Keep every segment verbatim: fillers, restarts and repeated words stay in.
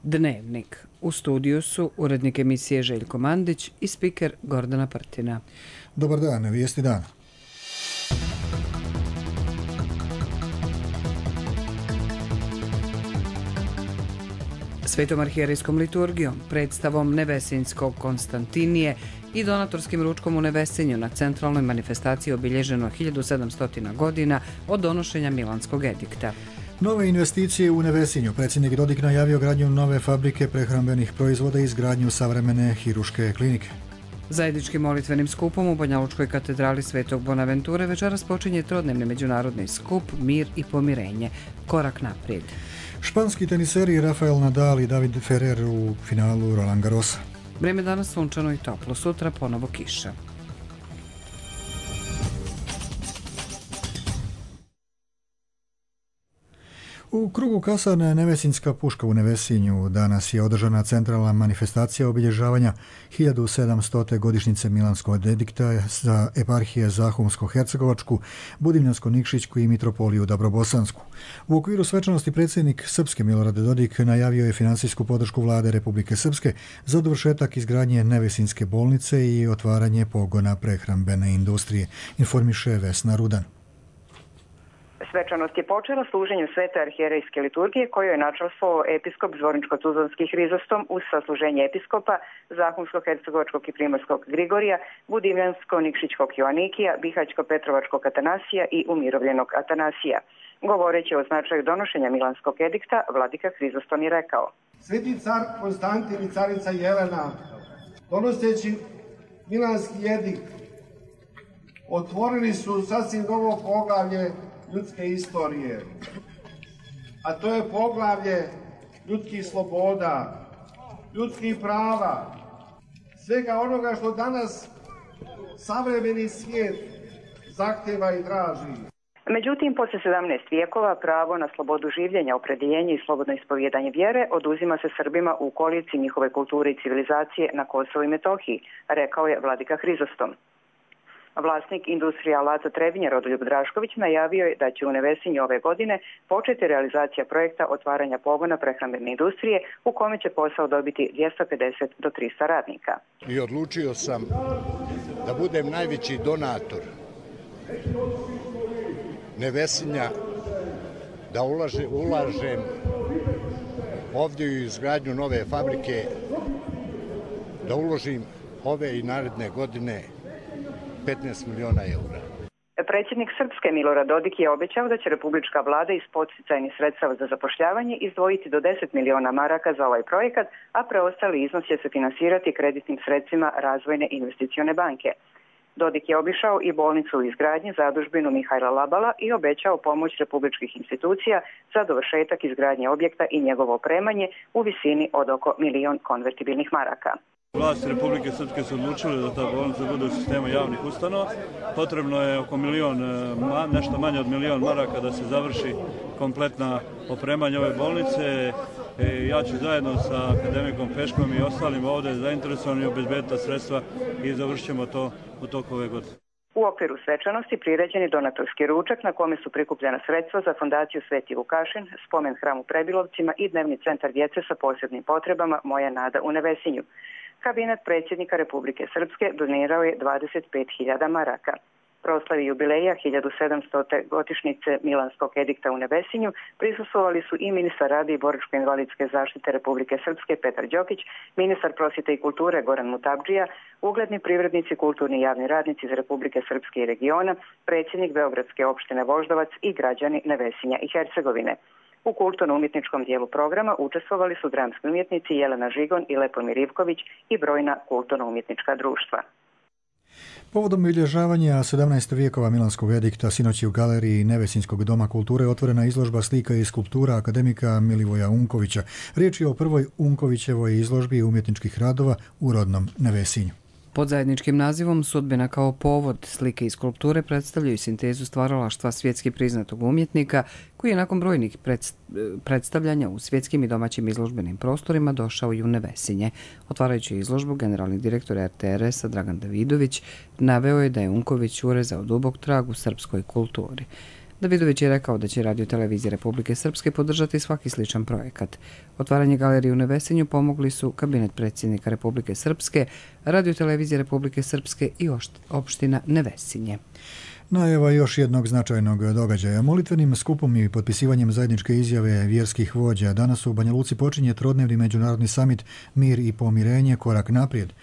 Dnevnik. U studiju su urednik emisije Željko Mandić i spiker Gordana Prtina. Dobar dan, vijesti dana. Svetom arhijerejskom liturgijom, predstavom Nevesinjskog Konstantinije i donatorskim ručkom u Nevesinju na centralnoj manifestaciji obilježeno hiljadu sedamsto godina od donošenja Milanskog edikta. Nove investicije u Nevesinju. Predsjednik Dodik najavio gradnju nove fabrike prehrambenih proizvoda i izgradnju savremene hiruške klinike. Zajedničkim molitvenim skupom u Banjalučkoj katedrali Svetog Bonaventure večeras počinje trodnevni međunarodni skup Mir i pomirenje. Korak naprijed. Španski teniseri Rafael Nadal i David Ferrer u finalu Roland Garrosa. Vrijeme danas sunčano i toplo, sutra ponovo kiša. U krugu Kasarne Nevesinjska puška u Nevesinju danas je održana centralna manifestacija obilježavanja hiljadu sedamstote godišnjice Milanskog edikta za eparhije Zahumsko-Hercegovačku, Budimljansko-Nikšićku i Mitropoliju Dabrobosansku. U okviru svečanosti predsjednik Srpske Milorad Dodik najavio je finansijsku podršku vlade Republike Srpske za dovršetak izgradnje Nevesinjske bolnice i otvaranje pogona prehrambene industrije, informiše Vesna Rudan. Svečanost je počela služenjem Svete arhijerejske liturgije koju je načelstvo episkop Zvorničko-Tuzlanski Hrizostom uz sasluženje episkopa Zahumsko-Hercegovačkog i Primorskog Grigorija, Budimljansko-Nikšićkog Joanikija, Bihaćko-Petrovačkog Atanasija i Umirovljenog Atanasija. Govoreći o značaju donošenja Milanskog edikta, vladika Hrizostom je rekao: Sveti car Konstantin i carica Jelena, donoseći Milanski edikt, otvorili su sasvim novo poglavlje ljudske istorije, a to je poglavlje ljudskih sloboda, ljudskih prava, svega onoga što danas savremeni svijet zahtjeva i traži. Međutim, poslije sedamnaest vijekova pravo na slobodu življenja, opredjeljenje i slobodno ispovjedanje vjere oduzima se Srbima u okolici njihove kulture i civilizacije na Kosovu i Metohiji, rekao je vladika Hrizostom. Vlasnik industrije Alaca Trebinje Rodoljub Drašković najavio je da će u Nevesinju ove godine početi realizacija projekta otvaranja pogona prehrambene industrije u kome će posao dobiti dvjesto pedeset do trista radnika. I odlučio sam da budem najveći donator Nevesinja, da ulaže, ulažem ovdje u izgradnju nove fabrike, da uložim ove i naredne godine petnaest miliona eura. Predsjednik Srpske Milorad Dodik je obećao da će republička vlada iz podsticajnih sredstava za zapošljavanje izdvojiti do deset miliona maraka za ovaj projekat, a preostali iznos će se finansirati kreditnim sredstvima Razvojne investicione banke. Dodik je obišao i bolnicu u izgradnji, zadužbinu Mihajla Labala i obećao pomoć republičkih institucija za dovršetak izgradnje objekta i njegovo opremanje u visini od oko milion konvertibilnih maraka. Vlasti Republike Srpske su odlučili da ta bolnica bude u sistemu javnih ustanova. Potrebno je oko milion, nešto manje od milion maraka da se završi kompletna opremanje ove bolnice. E, ja ću zajedno sa akademikom Peškom i ostalim ovdje zainteresovani obezbediti sredstva i završit ćemo to u toku ove godine. U okviru svečanosti priređen je donatorski ručak na kome su prikupljena sredstva za fondaciju Sveti Vukašin, spomen hram u Prebilovcima i dnevni centar djece sa posebnim potrebama Moja nada u Nevesinju. Kabinet predsjednika Republike Srpske donirao je dvadeset pet hiljada maraka. Proslavi jubileja hiljadu sedamstote godišnjice Milanskog edikta u Nevesinju prisustvovali su i ministar rada i boračko-invalidske zaštite Republike Srpske Petar Đokić, ministar prosvjete i kulture Goran Mutabdžija, ugledni privrednici, kulturni i javni radnici iz Republike Srpske i regiona, predsjednik Beogradske opštine Voždovac i građani Nevesinja i Hercegovine. U kulturno-umjetničkom dijelu programa učestvovali su dramski umjetnici Jelena Žigon i Lepomir Ivković i brojna kulturno-umjetnička društva. Povodom obilježavanja sedamnaestog vijekova Milanskog edikta sinoć je u galeriji Nevesinjskog doma kulture otvorena izložba slika i skulptura akademika Milivoja Unkovića. Riječ je o prvoj Unkovićevoj izložbi umjetničkih radova u rodnom Nevesinju. Pod zajedničkim nazivom Sudbina kao povod slike i skulpture predstavljaju sintezu stvaralaštva svjetski priznatog umjetnika koji je nakon brojnih predstavljanja u svjetskim i domaćim izložbenim prostorima došao i u Nevesinje. Otvarajući izložbu, generalni direktor er te er es-a Dragan Davidović naveo je da je Unković urezao dubok trag u srpskoj kulturi. Davidović je rekao da će Radio televizija Republike Srpske podržati svaki sličan projekat. Otvaranje galerije u Nevesinju pomogli su kabinet predsjednika Republike Srpske, Radio televizija Republike Srpske i opština Nevesinje. Najava još jednog značajnog događaja. Molitvenim skupom i potpisivanjem zajedničke izjave vjerskih vođa danas u Banja Luci počinje trodnevni međunarodni samit Mir i pomirenje, korak naprijed.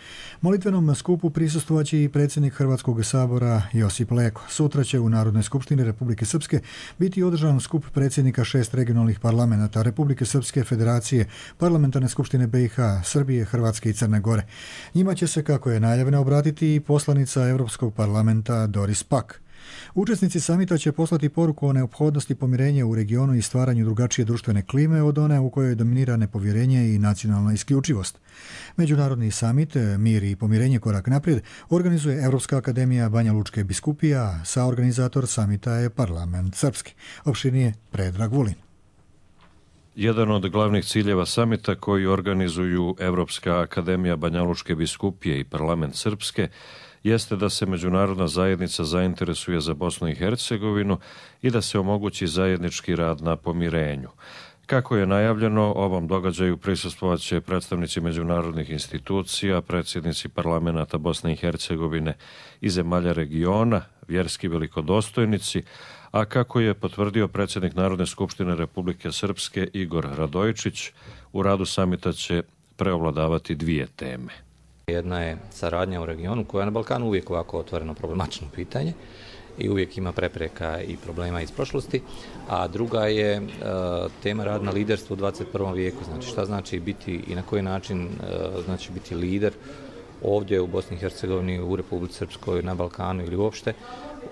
Molitvenom skupu prisustvovaće i predsjednik Hrvatskog sabora Josip Leko. Sutra će u Narodnoj skupštini Republike Srpske biti održan skup predsjednika šest regionalnih parlamenta Republike Srpske, Federacije, Parlamentarne skupštine B i H, Srbije, Hrvatske i Crne Gore. Njima će se, kako je najavljeno, obratiti i poslanica Europskog parlamenta Doris Pack. Učesnici samita će poslati poruku o neophodnosti pomirenja u regionu i stvaranju drugačije društvene klime od one u kojoj dominira nepovjerenje i nacionalna isključivost. Međunarodni samit Mir i pomirenje, korak naprijed organizuje Europska akademija Banja Lučke biskupije, a saorganizator samita je Parlament Srpski. Opširnije Predrag Vulin. Jedan od glavnih ciljeva samita koji organizuju Europska akademija Banja Lučke biskupije i Parlament Srpske jeste da se međunarodna zajednica zainteresuje za Bosnu i Hercegovinu i da se omogući zajednički rad na pomirenju. Kako je najavljeno, ovom događaju prisustvovaće predstavnici međunarodnih institucija, predsjednici parlamenata Bosne i Hercegovine i zemalja regiona, vjerski velikodostojnici, a kako je potvrdio predsjednik Narodne skupštine Republike Srpske Igor Radojičić, u radu samita će preovladavati dvije teme. Jedna je saradnja u regionu koja je na Balkanu uvijek ovako otvoreno problematično pitanje i uvijek ima prepreka i problema iz prošlosti, a druga je e, tema rad na liderstvu u dvadeset prvom vijeku, znači šta znači biti i na koji način e, znači biti lider ovdje u Bosni i Hercegovini, u Republici Srpskoj, na Balkanu ili uopšte,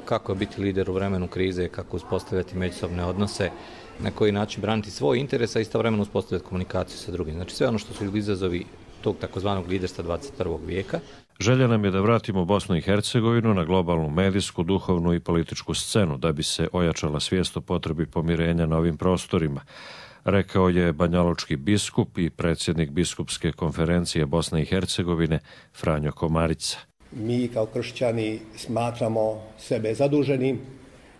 kako je biti lider u vremenu krize, kako uspostavljati međusobne odnose, na koji način braniti svoj interes, a istovremeno uspostavljati komunikaciju sa drugim. Znači sve ono što su izazovi tog takozvanog liderstva dvadeset prvog vijeka. Želja nam je da vratimo Bosnu i Hercegovinu na globalnu medijsku, duhovnu i političku scenu da bi se ojačala svijest o potrebi pomirenja na ovim prostorima, rekao je banjalučki biskup i predsjednik biskupske konferencije Bosne i Hercegovine Franjo Komarica. Mi kao kršćani smatramo sebe zaduženim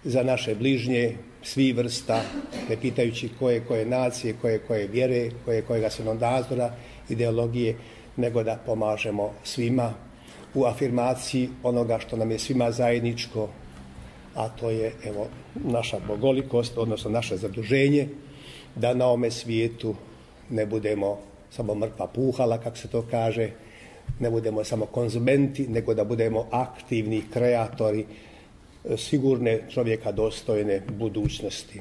za naše bližnje, svi vrsta, ne pitajući koje koje nacije, koje koje vjere, koje kojega svjetonazora, ideologije, nego da pomažemo svima u afirmaciji onoga što nam je svima zajedničko, a to je evo naša bogolikost, odnosno naše zaduženje, da na ovome svijetu ne budemo samo mrtva puhala, kako se to kaže, ne budemo samo konzumenti, nego da budemo aktivni kreatori sigurne, čovjeka dostojne budućnosti.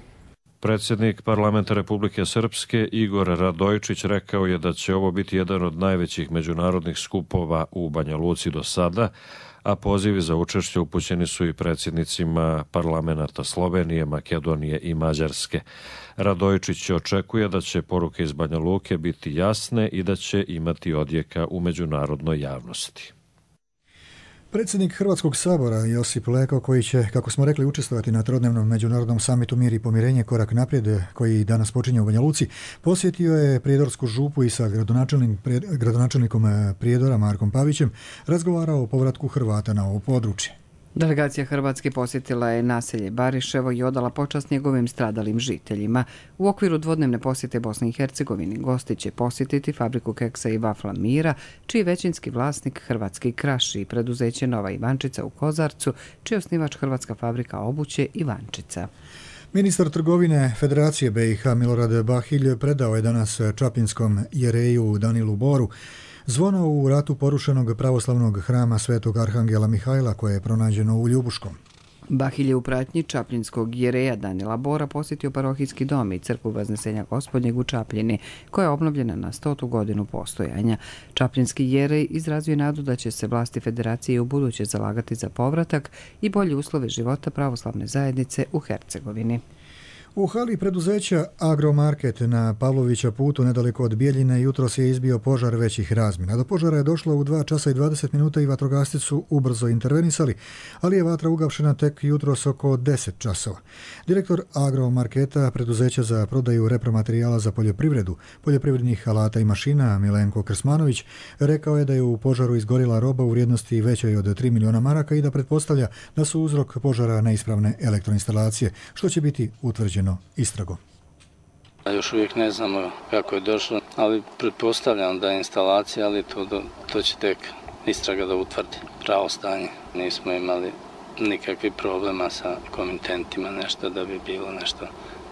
Predsjednik Parlamenta Republike Srpske Igor Radojičić rekao je da će ovo biti jedan od najvećih međunarodnih skupova u Banja Luci do sada, a pozivi za učešće upućeni su i predsjednicima parlamenata Slovenije, Makedonije i Mađarske. Radojičić očekuje da će poruke iz Banja Luke biti jasne i da će imati odjeka u međunarodnoj javnosti. Predsjednik Hrvatskog sabora Josip Leko, koji će, kako smo rekli, učestvovati na trodnevnom međunarodnom samitu Mir i pomirenje, korak naprijed, koji danas počinje u Banja Luci, posjetio je Prijedorsku župu i sa gradonačelnikom Prijedora Markom Pavićem razgovarao o povratku Hrvata na ovo područje. Delegacija Hrvatske posjetila je naselje Bariševo i odala počast njegovim stradalim žiteljima. U okviru dvodnevne posjete Bosni i Hercegovini gosti će posjetiti fabriku keksa i vafla Mira, čiji je većinski vlasnik Hrvatski Kraš i preduzeće Nova Ivančica u Kozarcu, čiji je osnivač Hrvatska fabrika obuće Ivančica. Ministar trgovine Federacije B i H Milorad Bahilj predao je danas čaplinskom jereju Danilu Boru zvono u ratu porušenog pravoslavnog hrama Svetog Arhangela Mihajla koje je pronađeno u Ljubuškom. Bahilj je u pratnji čapljinskog jereja Danila Bora posjetio parohijski dom i crkvu Vaznesenja Gospodnjeg u Čapljini, koja je obnovljena na stotu godinu postojanja. Čapljinski jerej izrazio nadu da će se vlasti Federacije u buduće zalagati za povratak i bolje uslove života pravoslavne zajednice u Hercegovini. U hali preduzeća Agromarket na Pavlovića putu nedaleko od Bijeljine jutros je izbio požar većih razmjera. Do požara je došlo u dva časa i dvadeset minuta i vatrogasci su ubrzo intervenisali, ali je vatra ugašena tek jutros oko deset časova. Direktor Agromarketa, preduzeća za prodaju repromaterijala za poljoprivredu, poljoprivrednih alata i mašina, Milenko Krsmanović, rekao je da je u požaru izgorila roba u vrijednosti većoj od tri miliona maraka i da pretpostavlja da su uzrok požara neispravne elektroinstalacije, što će biti utvrđeno istragom. Još uvijek ne znamo kako je došlo, ali pretpostavljam da je instalacija, ali to, to će tek istraga da utvrdi pravo stanje. Nismo imali nikakvih problema sa komitentima, nešto da bi bilo nešto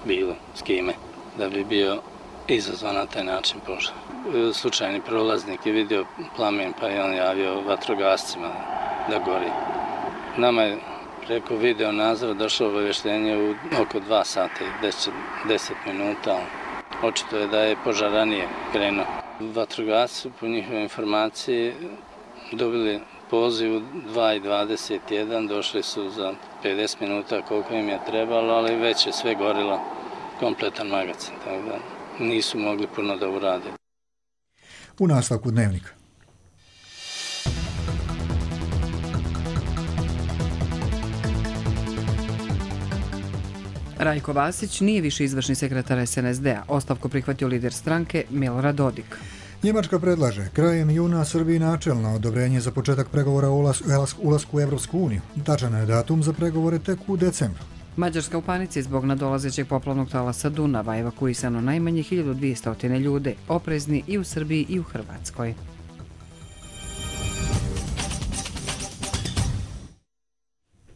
bilo s kime, da bi bio izazvan na taj način požar. Slučajni prolaznik je vidio plamen pa je on javio vatrogascima da gori. Nama je preko video nadzora došlo obavještenje u oko dva sata i deset minuta. Očito je da je požar ranije krenuo. Vatrogasci po njihovoj informaciji dobili poziv u dva i dvadeset jedan, došli su za pedeset minuta koliko im je trebalo, ali već je sve gorilo, kompletan magacin, tako da nisu mogli puno da urade. U nastavku dnevnika. Rajko Vasić nije više izvršni sekretar es en es de a. Ostavku prihvatio lider stranke Milorad Dodik. Njemačka predlaže krajem juna Srbiji načelno odobrenje za početak pregovora o ulasku u Evropsku uniju. Tačan je datum za pregovore tek u decembru. Mađarska u panici zbog nadolazećeg poplavnog talasa Dunava, evakuisano najmanje hiljadu dvjesto ljude, oprezni i u Srbiji i u Hrvatskoj.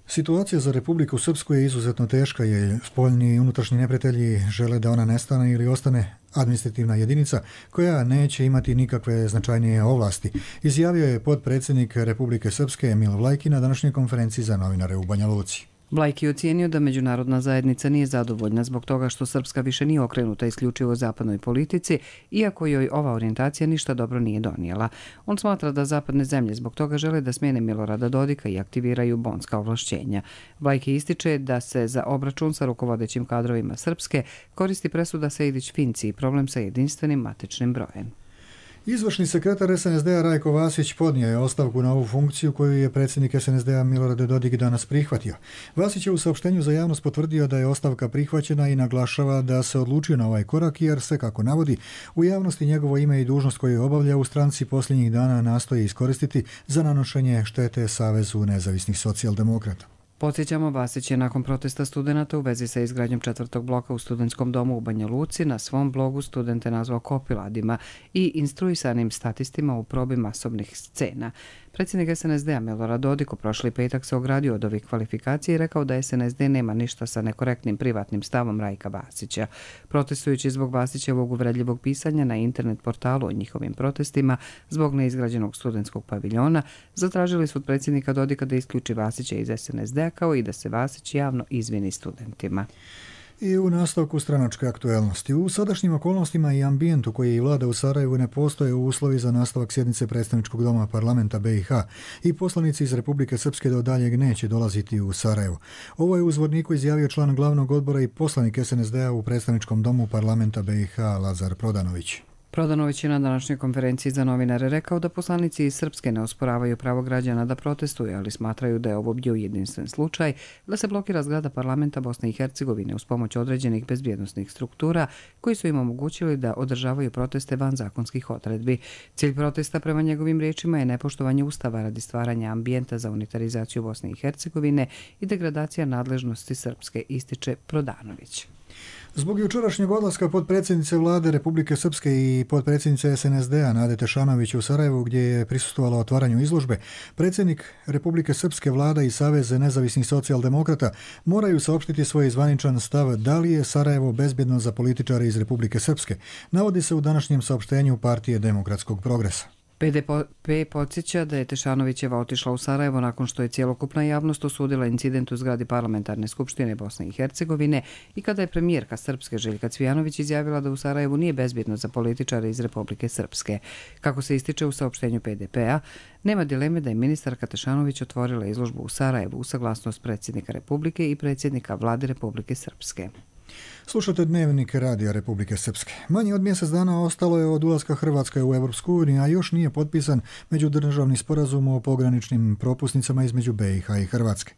Situacija za Republiku Srpsku je izuzetno teška, jer spoljni i unutrašnji neprijatelji žele da ona nestane ili ostane administrativna jedinica koja neće imati nikakve značajnije ovlasti, izjavio je potpredsjednik Republike Srpske Emil Vlajki na današnjoj konferenciji za novinare u Banja Luci. Vlajki je ocijenio da međunarodna zajednica nije zadovoljna zbog toga što Srpska više nije okrenuta isključivo zapadnoj politici, iako joj ova orijentacija ništa dobro nije donijela. On smatra da zapadne zemlje zbog toga žele da smijene Milorada Dodika i aktiviraju bonska ovlašćenja. Vlajki ističe da se za obračun sa rukovodećim kadrovima Srpske koristi presuda Sejdić-Finci i problem sa jedinstvenim matičnim brojem. Izvršni sekretar es en es de a Rajko Vasić podnio je ostavku na ovu funkciju koju je predsjednik es en es de a Milorad Dodik danas prihvatio. Vasić je u saopštenju za javnost potvrdio da je ostavka prihvaćena i naglašava da se odlučio na ovaj korak jer se, kako navodi, u javnosti njegovo ime i dužnost koju obavlja u stranci posljednjih dana nastoji iskoristiti za nanošenje štete Savezu nezavisnih socijaldemokrata. Podsjećamo, Vasić je nakon protesta studenata u vezi sa izgradnjom četvrtog bloka u studentskom domu u Banja Luci na svom blogu studente nazvao kopiladima i instruisanim statistima u probi masovnih scena. Predsjednik es en es de a Milorad Dodik u prošli petak se ogradio od ovih kvalifikacija i rekao da es en es de nema ništa sa nekorektnim privatnim stavom Rajka Vasića. Protestujući zbog Vasićevog uvredljivog pisanja na internet portalu o njihovim protestima zbog neizgrađenog studentskog paviljona, zatražili su od predsjednika Dodika da isključi Vasića iz es en es de a kao i da se Vasić javno izvini studentima. I u nastavku stranačke aktuelnosti. U sadašnjim okolnostima i ambijentu koji vlada u Sarajevu ne postoje uslovi za nastavak sjednice predstavničkog doma parlamenta be i ha i poslanici iz Republike Srpske do daljeg neće dolaziti u Sarajevo. Ovo je u Zvorniku izjavio član glavnog odbora i poslanik es en es de a u predstavničkom domu parlamenta be i ha Lazar Prodanović. Prodanović je na današnjoj konferenciji za novinare rekao da poslanici iz Srpske ne osporavaju pravo građana da protestuju, ali smatraju da je ovo bio jedinstven slučaj da se blokira zgrada parlamenta Bosne i Hercegovine uz pomoć određenih bezbjednosnih struktura koji su im omogućili da održavaju proteste van zakonskih odredbi. Cilj protesta prema njegovim riječima je nepoštovanje ustava radi stvaranja ambijenta za unitarizaciju Bosne i Hercegovine i degradacija nadležnosti Srpske, ističe Prodanović. Zbog jučerašnjeg odlaska potpredsjednice vlade Republike Srpske i potpredsjednice es en es de a Nade Tešanović u Sarajevu, gdje je prisustvovala otvaranju izložbe, predsjednik Republike Srpske, vlada i Savez nezavisnih socijaldemokrata moraju saopštiti svoj zvaničan stav da li je Sarajevo bezbjedno za političare iz Republike Srpske, navodi se u današnjem saopštenju Partije demokratskog progresa. pe de pe podsjeća da je Tešanovićeva otišla u Sarajevo nakon što je cjelokupna javnost osudila incident u zgradi Parlamentarne skupštine Bosne i Hercegovine i kada je premijerka Srpske Željka Cvijanović izjavila da u Sarajevu nije bezbjedno za političare iz Republike Srpske. Kako se ističe u saopštenju pe de pe a, nema dileme da je ministarka Tešanović otvorila izložbu u Sarajevu u saglasnost predsjednika Republike i predsjednika vlade Republike Srpske. Slušate Dnevnik Radija Republike Srpske. Manje od mjesec dana ostalo je od ulaska Hrvatske u Europsku uniju, a još nije potpisan međudržavni sporazum o pograničnim propusnicama između B i H i Hrvatske.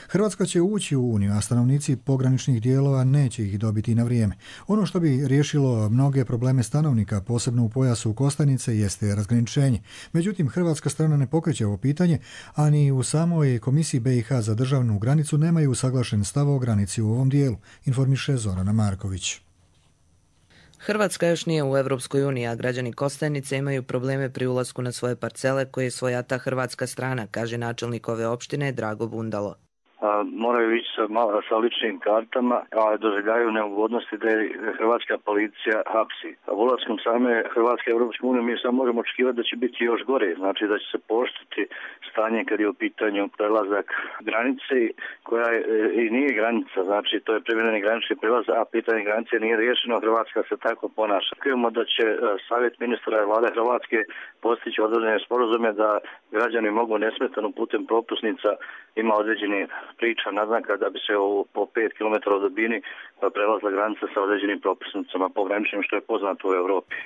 Hrvatska će ući u Uniju, a stanovnici pograničnih dijelova neće ih dobiti na vrijeme. Ono što bi riješilo mnoge probleme stanovnika, posebno u pojasu Kostajnice, jeste razgraničenje. Međutim, hrvatska strana ne pokreće ovo pitanje, a ni u samoj Komisiji B i H za državnu granicu nemaju usaglašen stav o granici u ovom dijelu, informiše Zorana Marković. Hrvatska još nije u Europskoj uniji, a građani Kostajnice imaju probleme pri ulasku na svoje parcele koje svojata hrvatska strana, kaže načelnik ove opštine Drago Bundalo. A, moraju ići sa, malo, sa ličnim kartama, a doživljaju neugodnosti da je hrvatska policija hapsi. A ulaskom same Hrvatske Europske unije mi samo možemo očekivati da će biti još gore, znači da će se pooštriti stanje kad je u pitanju prelazak granice koja je, i nije granica, znači to je privremeni granični prelaz, a pitanje granice nije riješeno, Hrvatska se tako ponaša. Očekujemo da će savjet ministra i vlade Hrvatske postići određene sporazume da građani mogu nesmetano putem propusnica ima određeni priča, naznaka da bi se po pet kilometara od dubini prelazila granica sa određenim propusnicama pograničnim, što je poznato u Europi.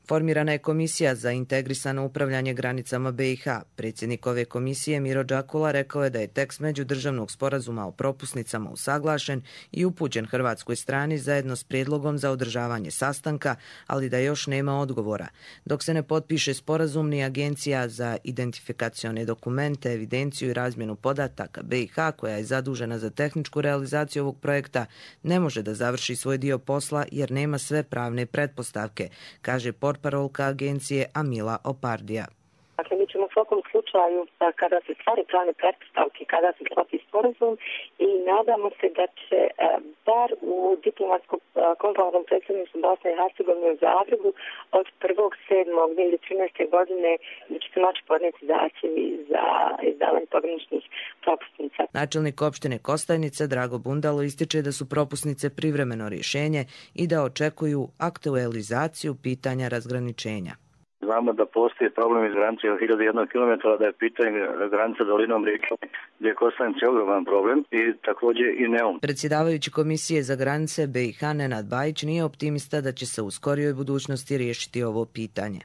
Formirana je komisija za integrisano upravljanje granicama B i H. Predsjednik ove komisije Miro Đakula rekao je da je tekst međudržavnog sporazuma o propusnicama usaglašen i upućen hrvatskoj strani zajedno s prijedlogom za održavanje sastanka, ali da još nema odgovora. Dok se ne potpiše sporazum, ni Agencija za identifikacione dokumente, evidenciju i razmjenu podataka B i H, koja je zadužena za tehničku realizaciju ovog projekta, ne može da završi svoj dio posla jer nema sve pravne pretpostavke, kaže portparolka agencije Amila Opardija. Dakle, mi ćemo u svakom slučaju, kada se stvari pravne pretpostavke, kada se sklopi sporazum i nadamo se da će bar u diplomatsko-konzularnom predstavništvu Bosne i Hercegovine u Zagrebu od prvog sedmog dve hiljade trinaeste. godine da će se moći podneti zahtjevi za izdavanje pograničnih propusnica. Načelnik opštine Kostajnice Drago Bundalo ističe da su propusnice privremeno rješenje i da očekuju aktualizaciju pitanja razgraničenja. Znamo da postoji problem iz granice od hiljadu jedan kilometara, da je pitanje granica dolinom rijeke gdje je Kostajnica ogroman problem i također i Neum. Predsjedavajući Komisije za granice B i H Nenad Bajić nije optimista da će se u skorijoj budućnosti riješiti ovo pitanje.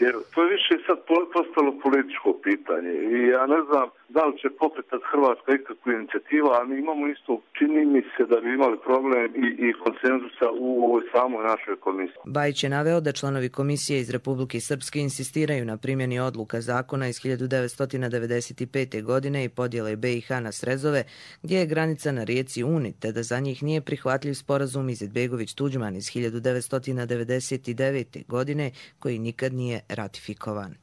Jer to je više sad postalo političko pitanje i ja ne znam da li će pokretati Hrvatska ikakvu inicijativu, a mi imamo isto, čini mi se da bi imali problem i, i konsenzusa u ovoj samoj našoj komisiji. Bajić je naveo da članovi komisije iz Republike Srpske insistiraju na primjeni odluka zakona iz hiljadu devetsto devedeset pete. godine i podjele B i H na srezove, gdje je granica na rijeci Uni, te da za njih nije prihvatljiv sporazum Izetbegović-Tuđman iz hiljadu devetsto devedeset devete. godine, koji nikad nije ratifikovan.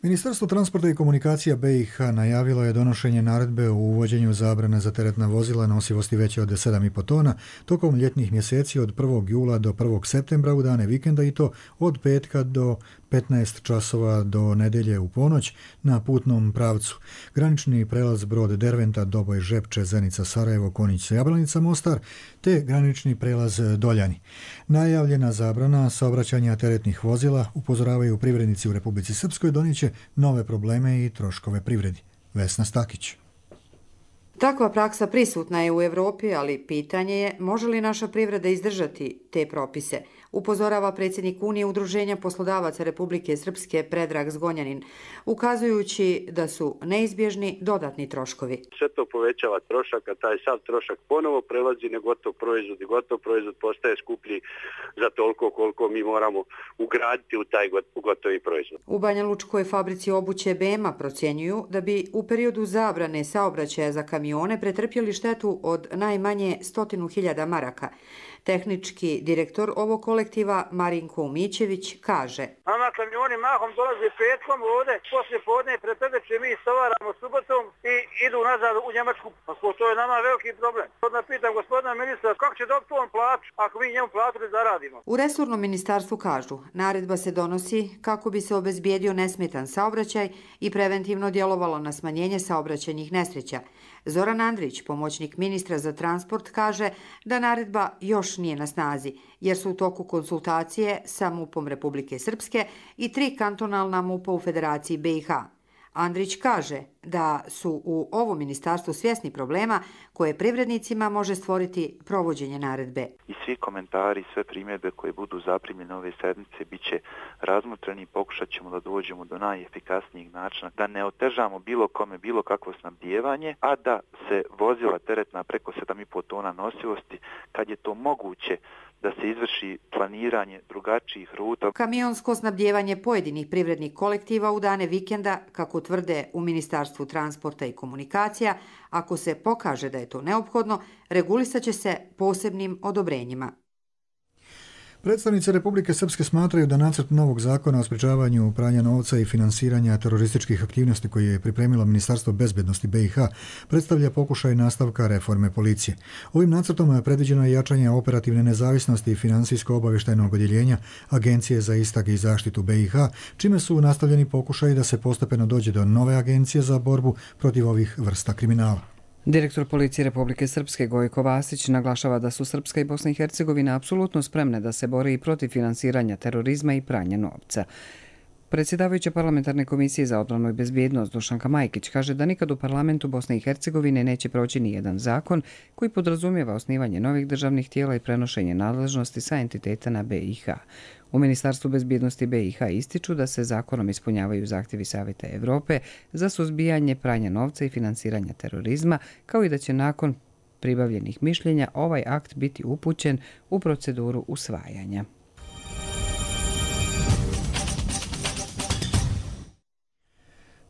Ministarstvo transporta i komunikacija B i H najavilo je donošenje naredbe o uvođenju zabrane za teretna vozila nosivosti veće od sedam i po tona tokom ljetnih mjeseci od prvog jula do prvog septembra u dane vikenda i to od petka do petnaest časova do nedjelje u ponoć na putnom pravcu. Granični prelaz Brod Derventa, Doboj, Žepče, Zenica, Sarajevo, Konjić, Jablanica, Mostar te granični prelaz Doljani. Najavljena zabrana saobraćanja teretnih vozila, upozoravaju privrednici u Republici Srpskoj, donijeće nove probleme i troškove privredi. Vesna Stakić. Takva praksa prisutna je u Europi, ali pitanje je može li naša privreda izdržati te propise, upozorava predsjednik Unije Udruženja poslodavaca Republike Srpske Predrag Zgonjanin, ukazujući da su neizbježni dodatni troškovi. Sve to povećava trošak, a taj sav trošak ponovo prelazi na gotov proizvod i gotov proizvod postaje skuplji za toliko koliko mi moramo ugraditi u taj gotovi proizvod. U Banjalučkoj fabrici obuće B M A procjenjuju da bi u periodu zabrane saobraćaja za kamione pretrpjeli štetu od najmanje stotinu hiljada maraka. Tehnički direktor ovog kolektiva Marinko Umićević kaže: Nama kamioni mahom dolaze petkom ovdje, poslije podne pretrdeće mi stovaramo subotom i idu nazad u Njemačku. To je nama veliki problem. Odmah pitam gospodina ministra kako će dobiti on plaću ako mi njemu platu ne zaradimo. U resornom ministarstvu kažu, naredba se donosi kako bi se obezbijedio nesmetan saobraćaj i preventivno djelovalo na smanjenje saobraćajnih nesreća. Zoran Andrić, pomoćnik ministra za transport, kaže da naredba još nije na snazi, jer su u toku konsultacije sa MUP-om Republike Srpske i tri kantonalna MUP-a u Federaciji B i H. Andrić kaže da su u ovom ministarstvu svjesni problema koje privrednicima može stvoriti provođenje naredbe. I svi komentari, sve primjedbe koje budu zaprimljene ove sedmice bit će razmotreni i pokušat ćemo da dođemo do najefikasnijeg načina, da ne otežamo bilo kome bilo kakvo snabdijevanje, a da se vozila teretna preko sedam i po tona nosivosti, kad je to moguće, da se izvrši planiranje drugačijih ruta. Kamionsko snabdijevanje pojedinih privrednih kolektiva u dane vikenda, kako tvrde u Ministarstvu transporta i komunikacija, ako se pokaže da je to neophodno, regulisat će se posebnim odobrenjima. Predstavnici Republike Srpske smatraju da nacrt novog zakona o sprečavanju pranja novca i finansiranja terorističkih aktivnosti koje je pripremilo Ministarstvo bezbednosti B i H predstavlja pokušaj nastavka reforme policije. Ovim nacrtom predviđeno je jačanje operativne nezavisnosti i finansijsko-obavještajnog odjeljenja Agencije za istrage i zaštitu B i H, čime su nastavljeni pokušaji da se postepeno dođe do nove agencije za borbu protiv ovih vrsta kriminala. Direktor policije Republike Srpske Gojko Vasić naglašava da su Srpska i Bosna i Hercegovina apsolutno spremne da se bore i protiv finansiranja terorizma i pranja novca. Predsjedavajuća parlamentarne komisije za odbranu i bezbjednost Dušanka Majkić kaže da nikad u parlamentu Bosne i Hercegovine neće proći ni jedan zakon koji podrazumijeva osnivanje novih državnih tijela i prenošenje nadležnosti sa entiteta na B i H. U Ministarstvu bezbjednosti B i H ističu da se zakonom ispunjavaju zahtjevi Savjeta Evrope za suzbijanje pranja novca i finansiranja terorizma, kao i da će nakon pribavljenih mišljenja ovaj akt biti upućen u proceduru usvajanja.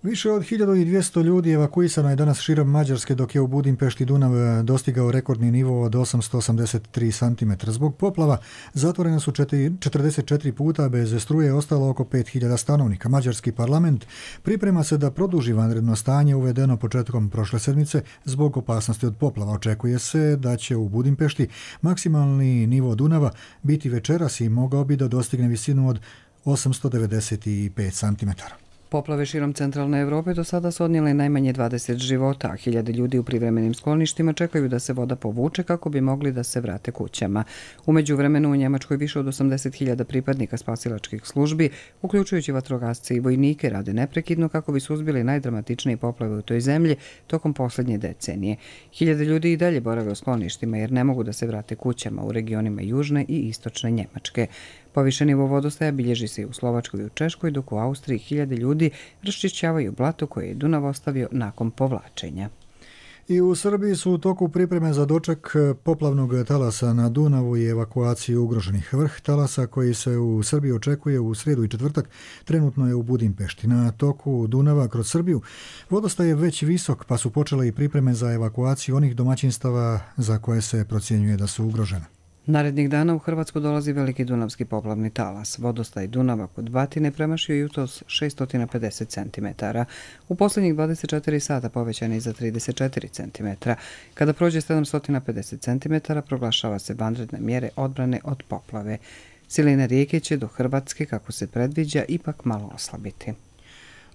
Više od hiljadu dvjesto ljudi evakuisano je danas širom Mađarske, dok je u Budimpešti Dunav dostigao rekordni nivo od osamsto osamdeset tri centimetra. Zbog poplava zatvorena su četrdeset četiri puta, bez struje je ostalo oko pet hiljada stanovnika. Mađarski parlament priprema se da produži vanredno stanje uvedeno početkom prošle sedmice zbog opasnosti od poplava. Očekuje se da će u Budimpešti maksimalni nivo Dunava biti večeras i mogao bi da dostigne visinu od osamsto devedeset pet centimetara. Poplave širom centralne Evrope do sada su odnijele najmanje dvadeset života, a hiljade ljudi u privremenim skloništima čekaju da se voda povuče kako bi mogli da se vrate kućama. U međuvremenu u Njemačkoj više od osamdeset hiljada pripadnika spasilačkih službi, uključujući vatrogasce i vojnike, rade neprekidno kako bi suzbili najdramatičnije poplave u toj zemlji tokom posljednje decenije. Hiljade ljudi i dalje borave u skloništima jer ne mogu da se vrate kućama u regionima južne i istočne Njemačke. Povišen nivo vodostaja bilježi se i u Slovačkoj i u Češkoj, dok u Austriji hiljade ljudi raščišćavaju blato koje je Dunav ostavio nakon povlačenja. I u Srbiji su u toku pripreme za doček poplavnog talasa na Dunavu i evakuaciju ugroženih. Vrh talasa koji se u Srbiji očekuje u srijedu i četvrtak trenutno je u Budimpešti. Na toku Dunava kroz Srbiju vodostaj je već visok, pa su počele i pripreme za evakuaciju onih domaćinstava za koje se procjenjuje da su ugrožene. Narednih dana u Hrvatsku dolazi veliki dunavski poplavni talas. Vodostaj Dunava kod Batine premašio jutros šesto pedeset centimetara. U posljednjih dvadeset četiri sata povećan je za trideset četiri centimetra. Kada prođe sedamsto pedeset centimetara, proglašava se vanredne mjere odbrane od poplave. Silina rijeke će do Hrvatske, kako se predviđa, ipak malo oslabiti.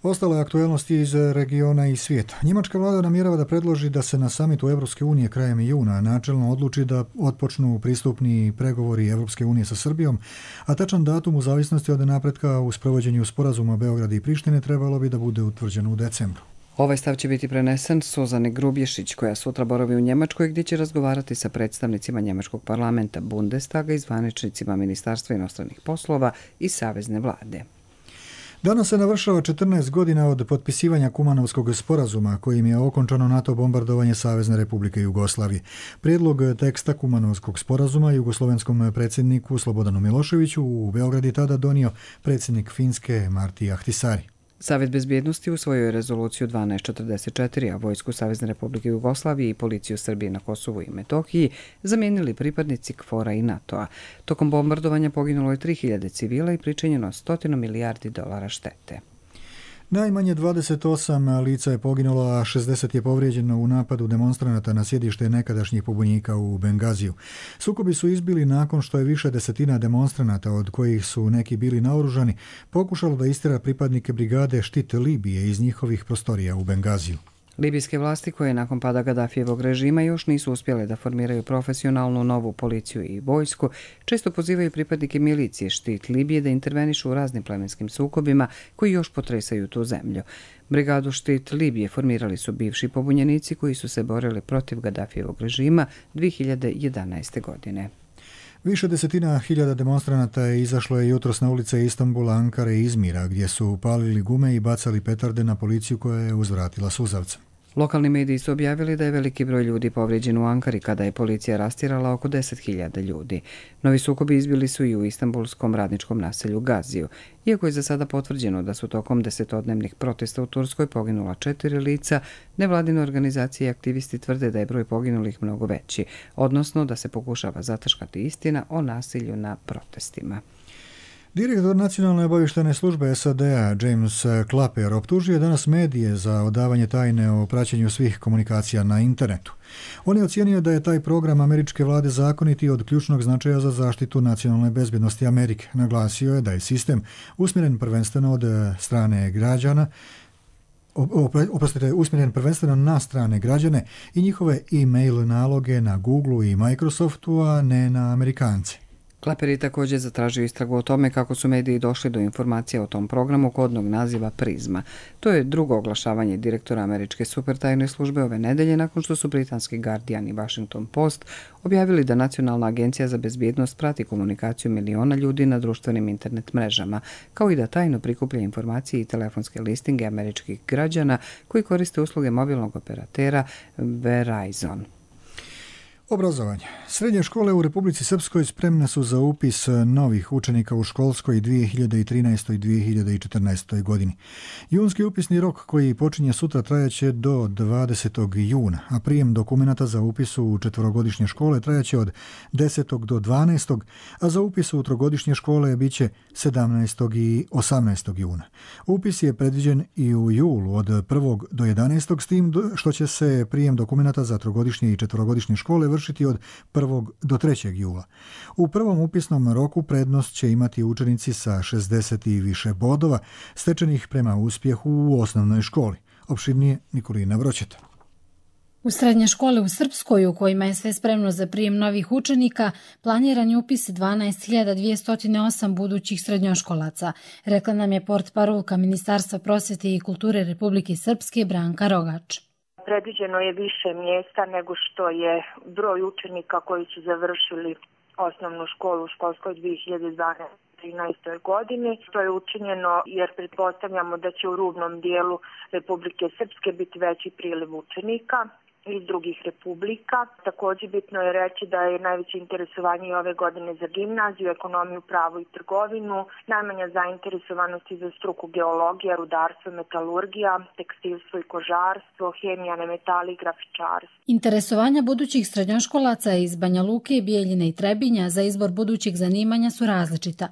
Ostale aktuelnosti iz regiona i svijeta. Njemačka vlada namjerava da predloži da se na samitu Evropske unije krajem juna načelno odluči da otpočnu pristupni pregovori Evropske unije sa Srbijom, a tačan datum u zavisnosti od napretka u sprovođenju sporazuma Beograda i Prištine trebalo bi da bude utvrđen u decembru. Ovaj stav će biti prenesen Suzane Grubješić, koja sutra boravi u Njemačkoj, gdje će razgovarati sa predstavnicima Njemačkog parlamenta, Bundestaga i zvaničnicima Ministarstva inostranih poslova i Savezne vlade. Danas se navršava četrnaest godina od potpisivanja Kumanovskog sporazuma kojim je okončano NATO bombardovanje Savezne Republike Jugoslavije. Prijedlog teksta Kumanovskog sporazuma jugoslovenskom predsjedniku Slobodanu Miloševiću u Beograd je tada donio predsjednik Finske Marti Ahtisaari. Savjet bezbjednosti usvojio je rezoluciju dvanaest četrdeset četiri, a vojsku Savezne Republike Jugoslavije i policiju Srbije na Kosovu i Metohiji zamijenili pripadnici KFOR-a i NATO-a. Tokom bombardovanja poginulo je tri hiljade civila i pričinjeno stotinu milijardi dolara štete. Najmanje dvadeset osam lica je poginulo, a šezdeset je povrijeđeno u napadu demonstranata na sjedište nekadašnjih pobunjenika u Bengaziju. Sukobi su izbili nakon što je više desetina demonstranata, od kojih su neki bili naoružani, pokušalo da istjera pripadnike brigade Štit Libije iz njihovih prostorija u Bengaziju. Libijske vlasti koje nakon pada Gadafijevog režima još nisu uspjele da formiraju profesionalnu novu policiju i vojsku, često pozivaju pripadnike milicije Štit Libije da intervenišu u raznim plemenskim sukobima koji još potresaju tu zemlju. Brigadu Štit Libije formirali su bivši pobunjenici koji su se borili protiv Gadafijevog režima dvije hiljade jedanaeste. godine. Više desetina hiljada demonstranata je izašlo je jutros na ulice Istanbula, Ankare i Izmira, gdje su palili gume i bacali petarde na policiju koja je uzvratila suzavcem. Lokalni mediji su objavili da je veliki broj ljudi povrijeđen u Ankari kada je policija rastjerala oko deset hiljada ljudi. Novi sukobi izbili su i u istanbulskom radničkom naselju Gaziju. Iako je za sada potvrđeno da su tokom desetodnevnih protesta u Turskoj poginula četiri lica, nevladine organizacije i aktivisti tvrde da je broj poginulih mnogo veći, odnosno da se pokušava zataškati istina o nasilju na protestima. Direktor Nacionalne obavještajne službe S A D-a James Clapper optužio je danas medije za odavanje tajne o praćenju svih komunikacija na internetu. On je ocijenio da je taj program američke vlade zakonit i od ključnog značaja za zaštitu nacionalne bezbjednosti Amerike. Naglasio je da je sistem usmjeren prvenstveno od strane građana, oprostite, usmjeren prvenstveno na strane građane i njihove e-mail naloge na Googleu i Microsoftu, a ne na Amerikance. Clapper je također zatražio istragu o tome kako su mediji došli do informacija o tom programu kodnog naziva Prizma. To je drugo oglašavanje direktora američke supertajne službe ove nedelje nakon što su britanski Guardian i Washington Post objavili da Nacionalna agencija za bezbjednost prati komunikaciju miliona ljudi na društvenim internet mrežama, kao i da tajno prikuplja informacije i telefonske listinge američkih građana koji koriste usluge mobilnog operatera Verizon. Obrazovanje. Srednje škole u Republici Srpskoj spremne su za upis novih učenika u školskoj dvije hiljade trinaestoj i dvije hiljade četrnaestoj. godini. Junski upisni rok koji počinje sutra trajaće do dvadesetog juna, a prijem dokumenata za upis u četvorogodišnje škole trajaće od desetog do dvanaestog, a za upis u trogodišnje škole biće sedamnaestog i osamnaestog juna. Upis je predviđen i u julu od prvog do jedanaestog, s tim što će se prijem dokumenata za trogodišnje i četvorogodišnje škole vršiti od prvog do trećeg jula. U prvom upisnom roku prednost će imati učenici sa šezdeset i više bodova, stečenih prema uspjehu u osnovnoj školi. Opširnije Nikolina Vroćeta. U srednje škole u Srpskoj, u kojima je sve spremno za prijem novih učenika, planiran je upis dvanaest hiljada dvjesto osam budućih srednjoškolaca, rekla nam je portparolka Ministarstva prosvjete i kulture Republike Srpske Branka Rogač. Predviđeno je više mjesta nego što je broj učenika koji su završili osnovnu školu u školskoj dvije hiljade dvanaeste do trinaeste. godini. To je učinjeno jer pretpostavljamo da će u rubnom dijelu Republike Srpske biti veći priliv učenika iz drugih republika. Također bitno je reći da je najveće interesovanje i ove godine za gimnaziju, ekonomiju, pravo i trgovinu, najmanja zainteresovanost i za struku geologija, rudarstvo, metalurgija, tekstilstvo i kožarstvo, hemija, nemetali i grafičarstvo. Interesovanja budućih srednjoškolaca iz Banja Luke, Bijeljine i Trebinja za izbor budućih zanimanja su različita.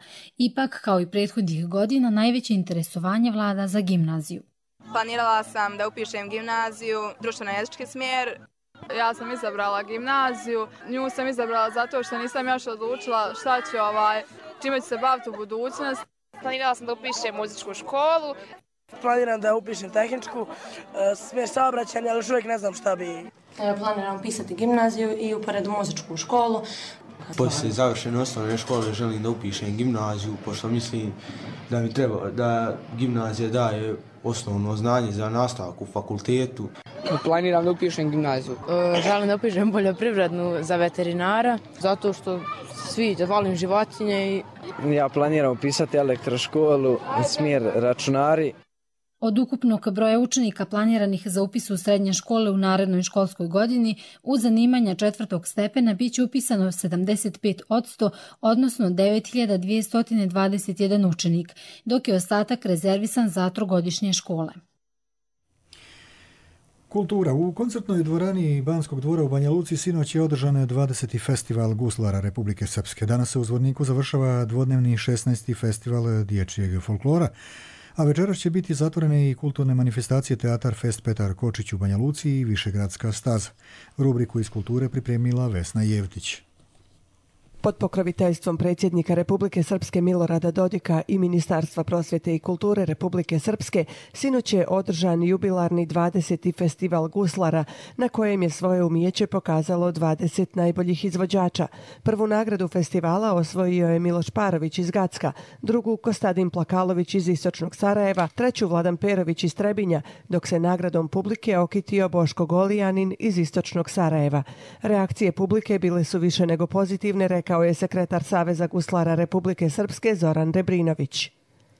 Ipak, kao i prethodnih godina, najveće interesovanje vlada za gimnaziju. Planirala sam da upišem gimnaziju, društveno-jezički smjer. Ja sam izabrala gimnaziju, nju sam izabrala zato što nisam još odlučila šta ću, ovaj, čime ću se baviti u budućnosti. Planirala sam da upišem muzičku školu. Planiram da upišem tehničku, smjer saobraćanja, ali još uvijek ne znam šta bi. Planiram upisati gimnaziju i uporedu muzičku školu. Poslije završene osnovne škole želim da upišem gimnaziju, pošto mislim da mi treba, da gimnazija daje osnovno znanje za nastavak u fakultetu. Planiram da upišem gimnaziju. E, želim da upišem poljoprivrednu za veterinara, zato što svi da volim životinje. I... Ja planiram upisati elektroškolu, smjer računari. Od ukupnog broja učenika planiranih za upis u srednje škole u narednoj školskoj godini u zanimanja četvrtog stepena bit će upisano sedamdeset pet posto, odnosno devet hiljada dvjesto dvadeset jedan učenik, dok je ostatak rezervisan za trogodišnje škole. Kultura. U koncertnoj dvorani Banskog dvora u Banja Luci sinoć je održan dvadeseti festival guslara Republike Srpske. Danas se u Zvorniku završava dvodnevni šesnaesti festival dječjeg folklora, a večeras će biti zatvorene i kulturne manifestacije Teatar Fest Petar Kočić u Banja Luci i Višegradska staza. Rubriku iz kulture pripremila Vesna Jevtić. Pod pokroviteljstvom predsjednika Republike Srpske Milorada Dodika i Ministarstva prosvjete i kulture Republike Srpske sinoć je održan jubilarni dvadeseti festival guslara na kojem je svoje umijeće pokazalo dvadeset najboljih izvođača. Prvu nagradu festivala osvojio je Miloš Parović iz Gacka, drugu Kostadin Plakalović iz istočnog Sarajeva, treću Vladan Perović iz Trebinja, dok se nagradom publike okitio Boško Golijanin iz istočnog Sarajeva. Reakcije publike bile su više nego pozitivne, rekao je sekretar Saveza guslara Republike Srpske Zoran Rebrinović.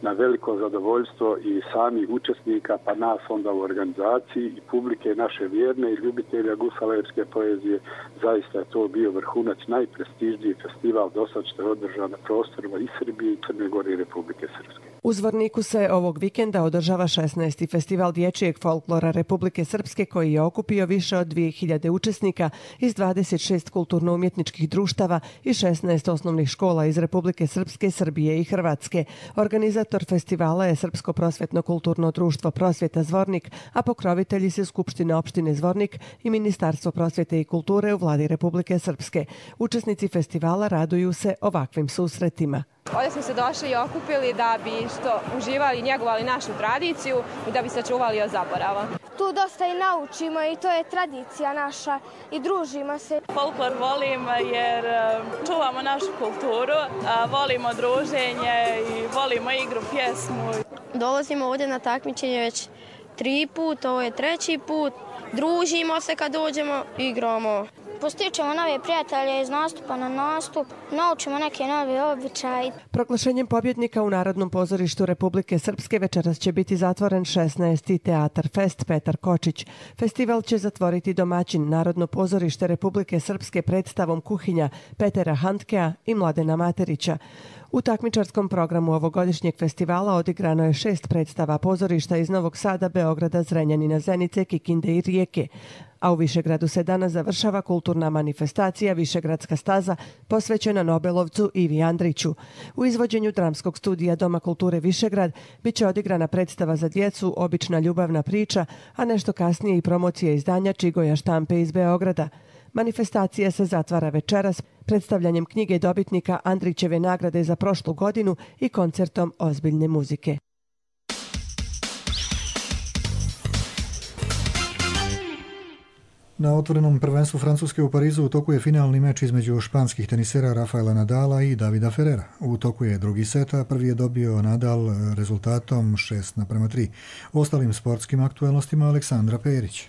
Na veliko zadovoljstvo i samih učesnika, pa nas onda u organizaciji i publike naše vjerne i ljubitelja guslajerske poezije, zaista je to bio vrhunac, najprestižniji festival dosad što je održan na prostorima i Srbije i Crne Gore i Republike Srpske. U Zvorniku se ovog vikenda održava šesnaesti festival dječjeg folklora Republike Srpske koji je okupio više od dvije hiljade učesnika iz dvadeset šest kulturno-umjetničkih društava i šesnaest osnovnih škola iz Republike Srpske, Srbije i Hrvatske. Organizator festivala je Srpsko prosvjetno-kulturno društvo Prosvjeta Zvornik, a pokrovitelji su Skupština opštine Zvornik i Ministarstvo prosvjete i kulture u vladi Republike Srpske. Učesnici festivala raduju se ovakvim susretima. Ovdje smo se došli i okupili da bi što uživali i njegovali našu tradiciju i da bi sačuvali od zaborava. Tu dosta i naučimo i to je tradicija naša i družimo se. Folklor volim jer čuvamo našu kulturu, volimo druženje i volimo igru, pjesmu. Dolazimo ovdje na takmičenje već tri put, ovo je treći put. Družimo se kad dođemo, igramo. Postičemo nove prijatelje iz nastupa na nastup, naučimo neke nove običaje. Proglašenjem pobjednika u Narodnom pozorištu Republike Srpske večeras će biti zatvoren šesnaesti Teatar Fest Petar Kočić. Festival će zatvoriti domaćin Narodno pozorište Republike Srpske predstavom Kuhinja Petera Handkea i Mladena Materića. U takmičarskom programu ovogodišnjeg festivala odigrano je šest predstava pozorišta iz Novog Sada, Beograda, Zrenjanina, Zenice, Kikinde i Rijeke. A u Višegradu se danas završava kulturna manifestacija Višegradska staza posvećena Nobelovcu Ivi Andriću. U izvođenju dramskog studija Doma kulture Višegrad biće odigrana predstava za djecu Obična ljubavna priča, a nešto kasnije i promocija izdanja Čigoja štampe iz Beograda. Manifestacija se zatvara večeras predstavljanjem knjige dobitnika Andrićeve nagrade za prošlu godinu i koncertom ozbiljne muzike. Na otvorenom prvenstvu Francuske u Parizu u toku je finalni meč između španskih tenisera Rafaela Nadala i Davida Ferrera. U toku je drugi set, a prvi je dobio Nadal rezultatom šest naprema tri. O ostalim sportskim aktualnostima Aleksandra Perić.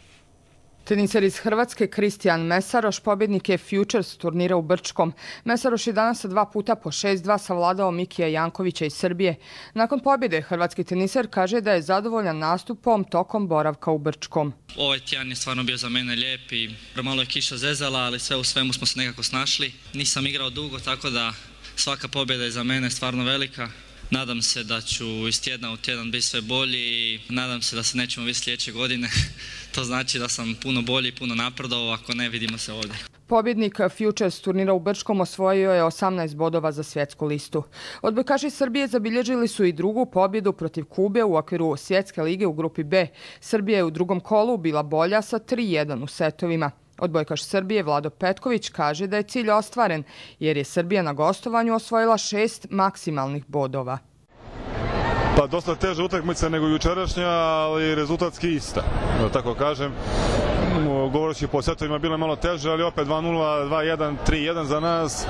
Teniser iz Hrvatske Kristijan Mesaroš pobjednik je Futures turnira u Brčkom. Mesaroš je danas dva puta po šest dva savladao Mikija Jankovića iz Srbije. Nakon pobjede hrvatski teniser kaže da je zadovoljan nastupom tokom boravka u Brčkom. Ovaj tjedan je stvarno bio za mene lijep i malo je kiša zezala, ali sve u svemu smo se nekako snašli. Nisam igrao dugo, tako da svaka pobjeda je za mene stvarno velika. Nadam se da ću iz tjedna u tjedan biti sve bolji i nadam se da se nećemo vidjeti sljedeće godine. To znači da sam puno bolji, puno napredovao, ako ne vidimo se ovdje. Pobjednik Futures turnira u Brčkom osvojio je osamnaest bodova za svjetsku listu. Odbojkaši Srbije zabilježili su i drugu pobjedu protiv Kube u okviru svjetske lige u grupi B. Srbija je u drugom kolu bila bolja sa tri jedan u setovima. Odbojkaš Srbije Vlado Petković kaže da je cilj ostvaren jer je Srbija na gostovanju osvojila šest maksimalnih bodova. Pa dosta teža utakmica nego jučerašnja, ali rezultatski ista, da tako kažem. Govoreći po setovima bilo je malo teže, ali opet dva nula, dva jedan, tri jedan za nas.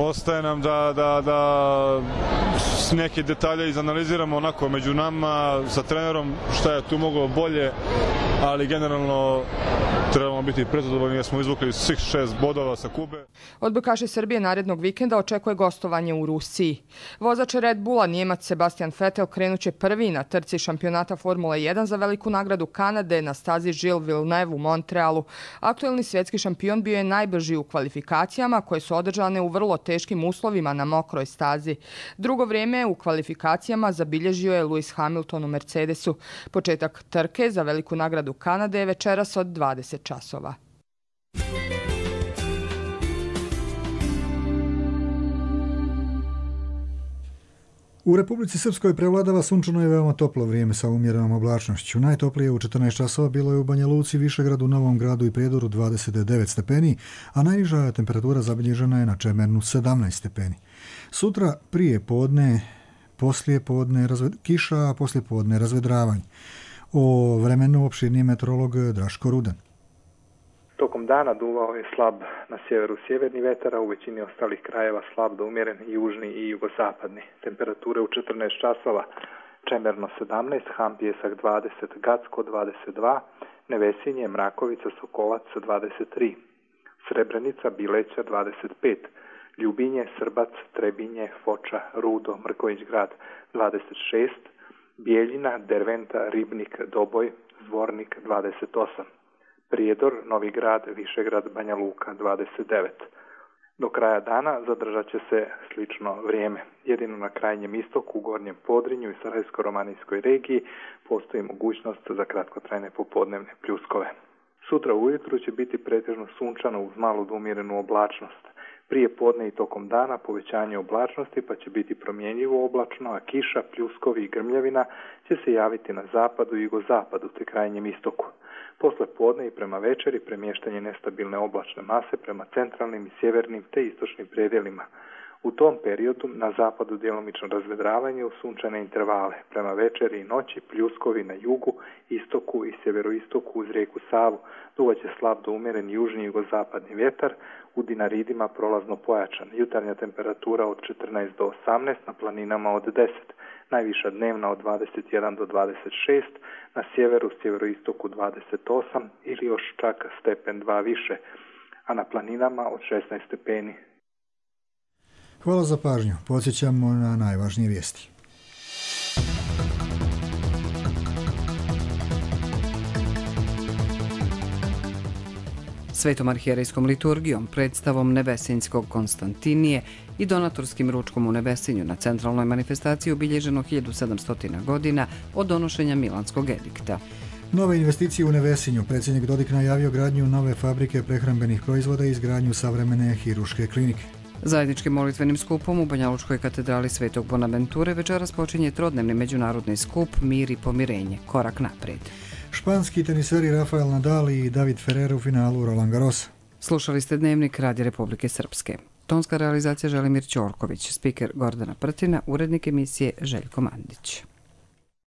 Ostaje nam da, da, da s neke detalje izanaliziramo onako među nama sa trenerom šta je tu moglo bolje, ali generalno trebamo biti prezadovoljni jer smo izvukli svih šest bodova sa Kube. Odbojkaši Srbije narednog vikenda očekuje gostovanje u Rusiji. Vozač Red Bulla Njemac Sebastian Vettel krenuće prvi na trci šampionata Formule jedan za veliku nagradu Kanade na stazi Gilles Villeneuve u Montrealu. Aktuelni svjetski šampion bio je najbrži u kvalifikacijama koje su održane u vrlo teškim uslovima na mokroj stazi. Drugo vrijeme u kvalifikacijama zabilježio je Lewis Hamilton u Mercedesu. Početak trke za veliku nagradu Kanade je večeras od dvadeset časova. U Republici Srpskoj prevladava sunčano i veoma toplo vrijeme sa umjerenom oblačnošću. Najtoplije u četrnaest časova bilo je u Banja Luci, Višegradu, Novom Gradu i Prijedoru dvadeset devet stepeni, a najniža temperatura zabilježena je na Čemernu sedamnaest stepeni. Sutra prije podne, poslije podne razved... kiša, a poslije podne razvedravanje. O vremenu opširniji meteorolog Draško Rudan. Tokom dana duvao je slab na sjeveru sjeverni vetar, a u većini ostalih krajeva slab do umjeren južni i jugozapadni. Temperature u četrnaest časova: Čemerno sedamnaest, Hampjesak dvadeset, Gacko dvadeset dva, Nevesinje, Mrakovica, Sokolac dvadeset tri, Srebrenica, Bileća dvadeset pet, Ljubinje, Srbac, Trebinje, Foča, Rudo, Mrković Grad dvadeset šest, Bijeljina, Derventa, Ribnik, Doboj, Zvornik dvadeset osam. Prijedor, Novi Grad, Višegrad, Banja Luka dvadeset devet. Do kraja dana zadržat će se slično vrijeme. Jedino na krajnjem istoku, u Gornjem Podrinju i Sarajevsko-romanijskoj regiji postoji mogućnost za kratkotrajne popodnevne pljuskove. Sutra ujutru će biti pretežno sunčano uz malu do umjerenu oblačnost. Prije podne i tokom dana povećanje oblačnosti, pa će biti promjenjivo oblačno, a kiša, pljuskovi i grmljavina će se javiti na zapadu i jugozapadu te krajnjem istoku. Posle podne i prema večeri premještanje nestabilne oblačne mase prema centralnim i sjevernim te istočnim predjelima. U tom periodu na zapadu djelomično razvedravanje u sunčane intervale. Prema večeri i noći pljuskovi na jugu, istoku i sjeveroistoku uz rijeku Savu. Duvaće slab do umjeren južni i jugozapadni vjetar, u Dinaridima prolazno pojačan. Jutarnja temperatura od četrnaest do osamnaest, na planinama od deset. Najviša dnevna od dvadeset jedan do dvadeset šest, na sjeveru, sjeveroistoku dvadeset osam ili još čak stepen dva više, a na planinama od šesnaest stepeni. Hvala za pažnju. Podsjećamo na najvažnije vijesti. Svetom arhijerejskom liturgijom, predstavom Nevesinjskog Konstantinije i donatorskim ručkom u Nevesinju na centralnoj manifestaciji obilježeno hiljadu sedamsto godina od donošenja Milanskog edikta. Nove investicije u Nevesinju. Predsjednik Dodik najavio gradnju nove fabrike prehrambenih proizvoda i izgradnju savremene hiruške klinike. Zajedničkim molitvenim skupom u Banjalučkoj katedrali Svetog Bonaventure večeras počinje trodnevni međunarodni skup Mir i pomirenje, korak naprijed. Španski teniseri Rafael Nadal i David Ferrer u finalu Roland Garrosa. Slušali ste Dnevnik Radija Republike Srpske. Tonska realizacija Želimir Ćorković, spiker Gordana Prtina, urednik emisije Željko Mandić.